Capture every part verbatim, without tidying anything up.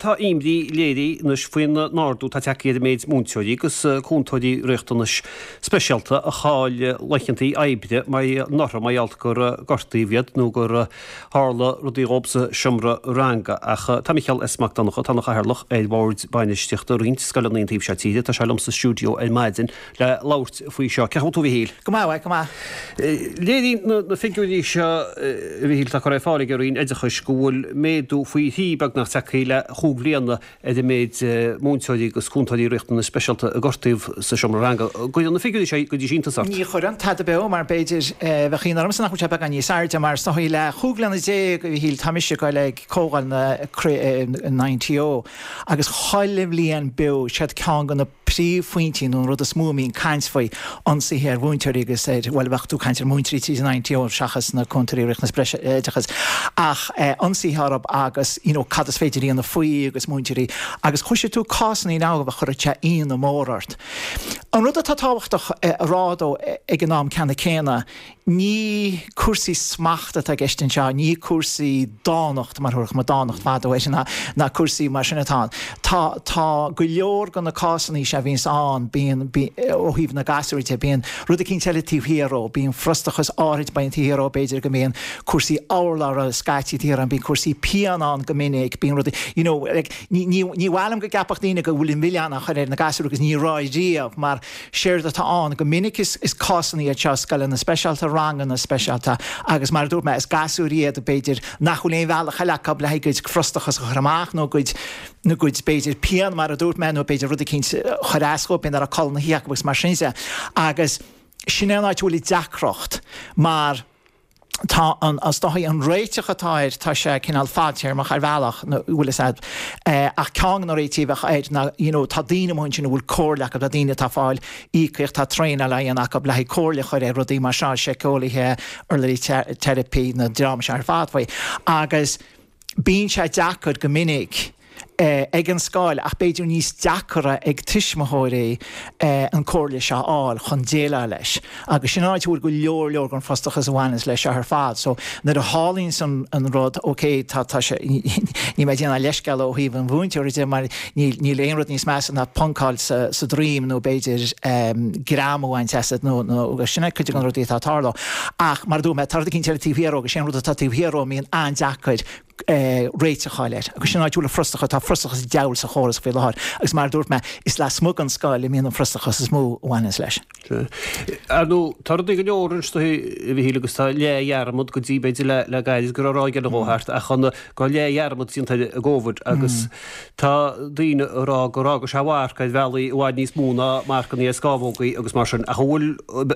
tá imní léirithe anois faoin ardú atá tagtha ar an méid múinteoirí agus cúntóirí riachtanais speisialta a chaill laethanta oibre mar orthu mar gheall gur gortaíodh iad nó gur tharla rudaí dhóibh sa seomra ranga. Ach tá Micheál S. Mac Donncha atá ina chathaoirleach ar bhord bainistíochta roinnt scoileanna an taobh seo tíre, tá sé liom sa stiúideo ar maidin le labhairt faoi seo. Cén chaoi a bhfuil tú a Mhichíl? Go maith, go maith. Léiríonn na figiúirí seo a Mhichíl atá curtha ar fáil ag an Roinn Oideachais go bhfuil méadú faoi thrí beagnach tagtha le chúig bhliana ar an méid múinteoirí agus cúntóirí riachtanais speisialta a gortaíodh sa seomra ranga. Cuireann na figiúirí seo go dtí seo iontas ort? Ní chuireann tada beo mar b'fhéidir bheadh ionadh ormsa nach bhfuil sé beagán níos airde mar is dóigh le chúig bliana déag a Mhichíl tá mise ag goil ag comhdháil na na INTO agus chuile bhliain beo siad ceann de na príomhphointí nó an rud is mó a mbíonn caint faoi ionsaithe ar mhúinteoirí agus ar bhuel bheadh tú caint ar mhúinteoirí tríd an INTO seachas na cúntóirí riachtanas breise oideachais ach ionsaithe orthu agus you know, cad is féidir a dhéanamh faoi agus múinteoirí agus chloisfidh tú cásanna now a chuirfeadh sé ionadh mór ort. An rud atá tábhachtach a rá dó ag an am ceanna céanna, ní cúrsaí smachta atá i gceist anseo, ní cúrsaí dánacht mar thabharfadh muid dánacht fadó air ná ná cúrsaí mar sin atá ann. Tá tá go leor de na cásanna seo a bhíonns ann, bíonn ó thaobh na gasúir de, bíonn rud eicínt eile taobh thiar dhó, bíonn frustrachas áirid bíonn taobh thiar dhó, b'fhéidir go mbíonn cúrsaí urlabhra scaití taobh thiar ann, bíonn cúrsaí pian ann go minic, bíonn rudaí, you know, like, ní ní ní mhaith liom go gceapfadh daoine go bhfuil an milleán á chur ar na gasúir agus ní raibh riamh mar séard atá ann go minic is is cásanna iad seo scoileanna speisialta, ranganna speisialta agus mar a dúirt mé is gasúir iad b'fhéidir nach bhfuil aon bhealach eile acu le haghaidh a gcuid frustrachas a chur amach nó a gcuid nó a gcuid b'fhéidir pian mar a dúirt mé nó b'fhéidir rud eicínt a chuir as dhóibh b'fhéidir nach raibh codladh na hoíche acu agus mar sin de agus sin é an áit a bhfuil an deacracht mar tá an is dóigh an réiteach atá air, tá sé cineál fadtéarmach ar bhealach, nó bhfuil fhios a'd, ach ceann de na réitigh a bheadh air ná you know tá daoine amuigh ansin a bhfuil comhairle acu, tá daoine atá ag fáil íocaíocht, tá traenáil á dhéanamh acu le haghaidh comhairle a chur ar rudaí mar seo, síceolaithe, urlabhraí teiripí, na dream seo ar fad faoi. Agus bíonn sé deacair go minic. ag an scoil ach b'fhéidir níos deacra ag tuismitheoirí an comhairle seo a fháil chun déileáil leis. Agus sin an áit a bhfuil go leor leor den frustrachas a bhaineanns leis seo ar fad. So nuair a tharlaíonns an an rud, ok, tá tá sé níl mé ag déanamh leithscéal ó thaobh an mhúinteora de mar níl níl aon rud níos measa ná poncáil sa sa droim nó b'fhéidir greamú a bhaint asat nó nó sin é cuid de na rudaí atá ag tarlú. Ach mar a dúirt mé, tá rud eicínt eile taobh thiar dhó agus sé an rud atá taobh thiar dhó a mbíonn an-deacair réiteach a fháil air. Agus sin an áit a bhfuil an frustrachas, tá frustrachas an diabhail sa chóras faoi láthair. Agus mar a dúirt mé, is lasmuigh den scoil a mbíonn an frustrachas is mó a bhaineanns leis. Ar ndóigh, tá rudaí go leor anois, a Mhichíl, agus tá leathdhearmad go dtí b'fhéidir le le gairid go raibh ráig eile dhó thart ach an go raibh leathdhearmad déanta ar an gCóvid agus tá daoine ag rá gur fhága sé a mharc ar bhealaí i bhfad níos mó ná marcanna ar scámhógaí agus mar sin. Ach an bhfuil,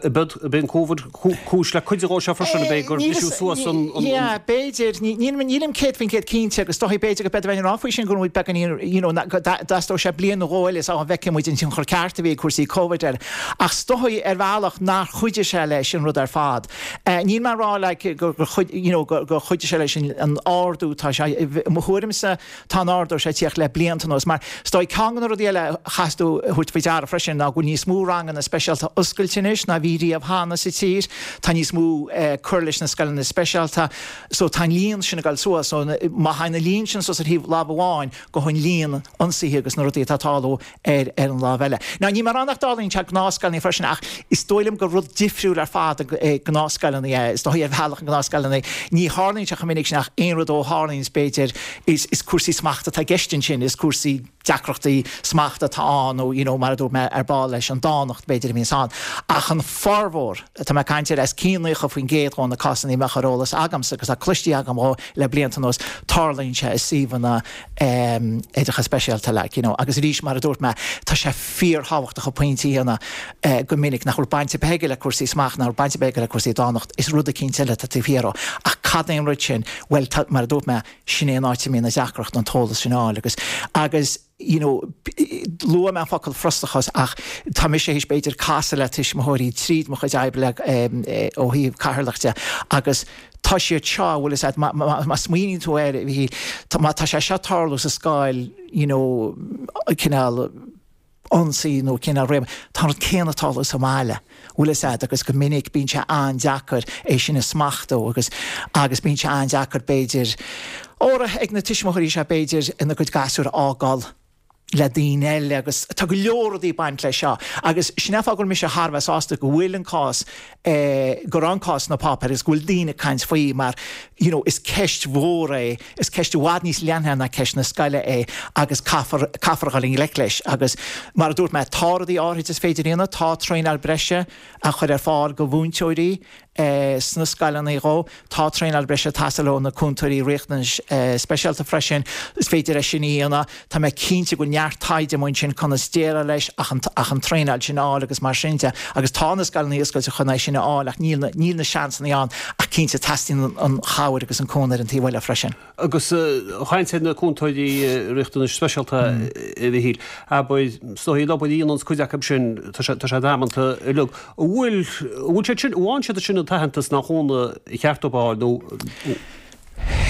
ab é an Covid cúis le cuid dhó seo freisin, ab é gur briseadh suas an. Yeah, b'fhéidir. Nílim céad faoin gcéad cinnte agus is dóigh b'fhéidir go b'fhéidir bheinn ag rá faoi sin go bhfuil muid beagáinín, you know, go dteastódh sé bliain nó dhó eile sula bhfeicfidh muid an tionchar ceart a bhí ag cúrsaí Covid air. Ach is dóigh ar bhealach nár chuidigh sé leis an rud ar fad. Níl mé ag rá like gur chuid, you know, gur chuidigh sé leis an ardú, tá sé, i mo thuairimse, Tá an ardú seo ag tíocht le blianta anuas. Mar is dóigh ceann de na rudaí eile a chaithfeas tú a thabhairt faoi deara freisin ná go bhfuil níos mó ranganna speisialta oscailte anois ná bhí riamh cheana sa tír. Tá níos mó cur leis na scoileanna speisialta. So tá an líon sin ag dul suas. So má thagann an líon sin suas ar thaobh lámh amháin gabhann an líon ionsaithe agus na rudaí atá ag tarlú ar ar an lámh eile. Now níl mé ag rá nach dtarlaíonn sé i ngnáthscoileanna freisin ach is dóigh liom gur rud difriúil ar fad i ngnáthscoileanna é. Is dóigh ar bhealach i ngnáthscoileanna ní tharlaíonn sé chomh minic sin ach aon rud ó tharlaíonn b'fhéidir is is cúrsaí smachta atá i gceist ansin, is cúrsaí deacrachtaí smachta atá ann nó you know mar a dúirt mé ar ball leis an dánacht b'fhéidir a bhíonns ann. Ach an formhór, tá mé ag caint ar os cionn naocha faoin gcéad dhó na cásanna a mbeadh ar eolas agamsa agus atá cloistí agam dhó le blianta anuas, tarlaíonn sé i suíomhanna ehm oideachais speisialta like you know agus arís mar a dúirt mé tá sé fíorthábhachtach an pointe a dhéanamh eh go minic nach bhfuil baint ar bith aige le cúrsaí smachta, nach bhfuil baint ar bith aige le cúrsaí dánacht, is rud eicínt eile atá taobh thiar dhó. Ach cad é an rud sin? Bhuel tá, mar a dúirt mé, sin é an áit a mbíonn an deacracht an t-eolas sin a fháil agus, agus you know, luaigh mé an focal frustrachas ach tá mise théis b'fhéidir casadh le tuismitheoirí tríd mo chuid oibre ó thaobh cathaoirleach de agus tá siad seo, bhfuil fhios a'd, má, má, má smaoiníonn tú air, má tá sé seo ag tarlú sa scoil, you know, cineál, ionsaí nó cineál réim, tá an rud céanna ag tarlú sa mbaile, bhfuil fhios a'd, agus go minic bíonn sé an-deacair é sin a smachtú agus agus bíonn sé an-deacair b'fhéidir áirithe ag na tuismitheoirí seo b'fhéidir ina gcuid gasúr a fhágáil le daoine eile agus tá go leor rudaí ag baint leis seo agus sin é an fáth go bhfuil mise thar a bheith sásta go bhfuil an cás eh, go raibh an cás sna páipéir agus go bhfuil daoine ag caint faoi mar you know, is ceist mhór é, is ceist i bhfad níos leithne ná ceist na scoile é agus caithfear caithfear a dhul i ngleic leis agus mar a dúirt mé tá rudaí áirithe is féidir a dhéanamh, tá traenáil breise a chur ar fáil go mhúinteoirí eh, sna scoileanna dhó, tá traenáil breise ag teastáil ó na cúntóirí riachtanais eh, speisialta freisin, is féidir é sin a dhéanamh, tá mé cinnte go bhfuil neart taighde amuigh ansin conas déileáil leis ach an, ach an traenáil sin a fháil agus mar sin de agus tá na scoileanna oscailte chun é sin a fháil ach níl na, níl na seansanna ann ach cinnte teastaíonn an, an chabhair agus an cúnamh ar an taobh eile freisin. Agus chaint ar na cúntóirí riachtanais speisialta a Mhichíl, abair is dóigh an obair a dhéanann cuid acu sin tá sé tá sé damanta uilig. An bhfuil an bhfuil siad sin an bhfaigheann siad sin an t-aitheantas ná cúnamh cheart dóibh a fháil nó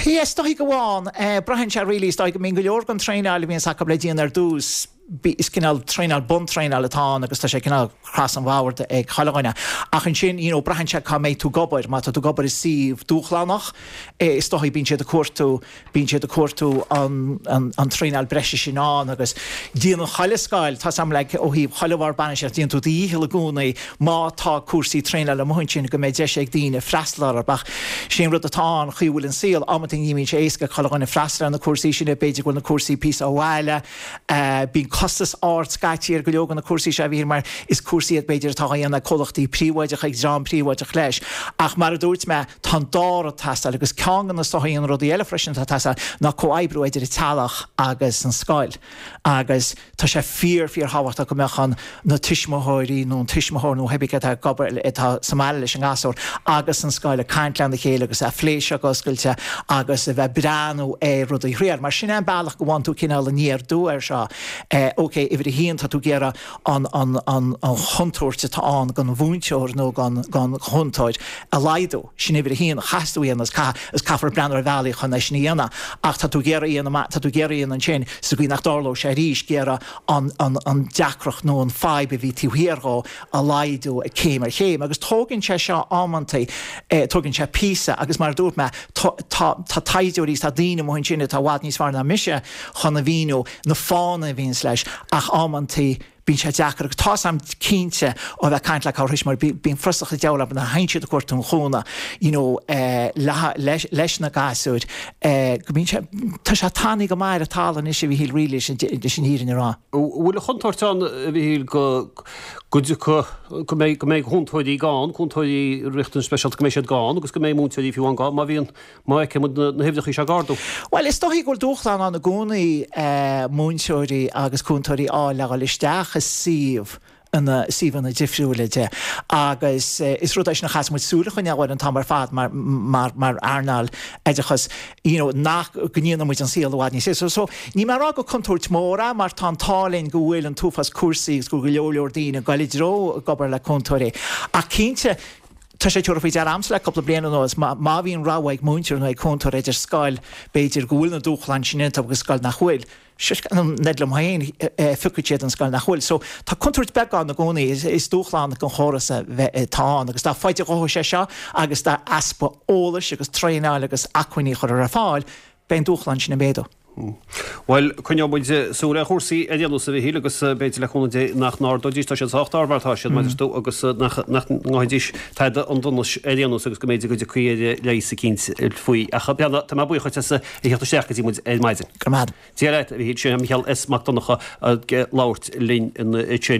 Yes, dóigh go bhfaigheann, eh, braitheann sé really, is dóigh go mbíonn go leor den traenáil a bhíonns acu le déanamh ar dtús, is cineál traenáil buntraenáil atá ann agus tá sé cineál across an bhord ag chuile dhuine. Ach ansin, you know, braitheann sé cá mbeidh tú ag obair, má tá tú ag obair i suíomh dúshlánach, eh, is dóigh bíonn siad ag cuartú bíonn siad ag cuartú an, an, an traenáil breise sin ann agus déanann chuile scoil, tá sam like, ó thaobh chuile bhord bainistíochta, déanann tú do dhícheall i gcónaí má tá cúrsaí traenála amuigh ansin go mbeidh deis ag daoine freastal orthu ach sin rud atá ann chaoi bhfuil an saol amanta ní bhíonn sé éasca chuile dhuine freastal ar na cúrsaí sin b'fhéidir go bhfuil na cúrsaí píosa ó bhaile, uh, bíonn costas ard scaití ar go leor de na cúrsaí seo a bhí mar is cúrsaí iad b'fhéidir atá á dhéanamh ag comhlachtaí príobháideacha ag dream príobháideach leis. Ach mar a dúirt mé tá an dá rud ag teastáil agus ceann de na sochaí an rudaí eile freisin atá ag teastáil ná comhoibriú idir an teaghlach agus an scoil. Agus tá sé fíor fíorthábhachtach go mbeadh an na tuismitheoirí nó an tuismitheoir nó pé atá ag obair atá sa mbaile leis an ngasúr agus an scoil ag caint lena chéile agus a phlé seo go oscailte agus a bheith breathnú ar rudaí thriail. Mar sin é an bealach go bhfaigheann tú cineál an ardú air seo. Eh, ok, uimhir a haon tá tú ag iarraidh an, an, an, an chontúirt atá ann don mhúinteoir nó don, don chúntóir a laghdú. Sin uimhir a haon chaithfidh tú a dhéanamh is caith is caithfear breathnú ar bhealaí chun é sin a dhéanamh. Ach tá tú ag iarraidh a dhéanamh tá tú ag iarraidh a dhéanamh ansin sa gcaoi nach dtarlódh sé arís ag iarraidh an, an, an deacracht nó an fadhb a bhí taobh thiar dhó a laghdú ag céim ar chéim. Agus tógann sé seo amantaí eh, tógann sé píosa agus mar a dúirt mé tá, tá, tá taighdeoirí tá daoine amuigh ansin atá i bhfad níos fearr ná mise chun a mhíniú na fáthanna a bhíonns leis ach amantaí bíonn sé deacair agus tá sam cinnte ó bheith caint le cabhair mar bíonn frustrachas an diabhail na haon siad a cuairt an chúna you know, eh, le, leis, leis na gasúir eh, go bíonn sé tá sé tanaí go maith ar talamh anois a Mhichíl really leis an leis an fhírinne a rá. Bhfuil a chontúirt ann a Mhichíl go go dtiocfaidh go mbeidh go mbeidh cúntóirí gann, cúntóirí riachtanais speisialta go mbeidh siad gann agus go mbeidh múinteoirí fiú an gann má bhíonn má fheiceann muid na na huimhreacha seo ag ardú. Well, is dóigh go bhfuil dúshlán ann i gcónaí eh, múinteoirí agus cúntóirí á le dhul isteach i suíomh ina suíomhanna difriúla de agus eh, is rud é sin a chaithfidh muid súil a choinneáil air an t-am ar fad mar mar mar earnáil oideachais you know, nach go ndéanann muid an saol i bhfad níos éasca. So, ní mar rá go contúirt mór é mar tá an t-ádh linn go bhfuil an t-uafás cúrsaí agus go go leor leor daoine ag dul i dtreo ag obair le cúntóirí. Ach cinnte Tá sé tabhartha faoi deara agamsa le cúpla bliain anuas má má bhíonn rogha ag múinteoir nó ag cúntóir idir scoil b'fhéidir go bhfuil na dúshláin sin iontu agus scoil nach bhfuil. Ned liom féin piocfaidh siad an scoil nach bhfuil. So tá contúirt beag ann i gcónaí is, is dúshlán don chóras a bheith atá ann agus dá faide a ghabhfaidh sé seo agus dá easpa eolais agus traenáil agus acmhainní chur ar fáil, beidh an dúshlán sin ag méadú. Well coinneoidh muid súil ar chúrsaí ar aon nós a Mhichíl agus b'fhéidir le cúnamh Dé nach n-ardóidís tá siad sách ard mar tá siad mar tú agus nach nach ngabhaidís tada an donais ar aon nós agus go mb'fhéidir go dtiocfaí ar leigheas eicínt faoi ach beanna tá mé buíoch as a theacht isteach go dtí muid ar maidin. Go maith. Dia leat a Mhichíl sin Micheál S Mac Donncha ag labhairt linn ansin.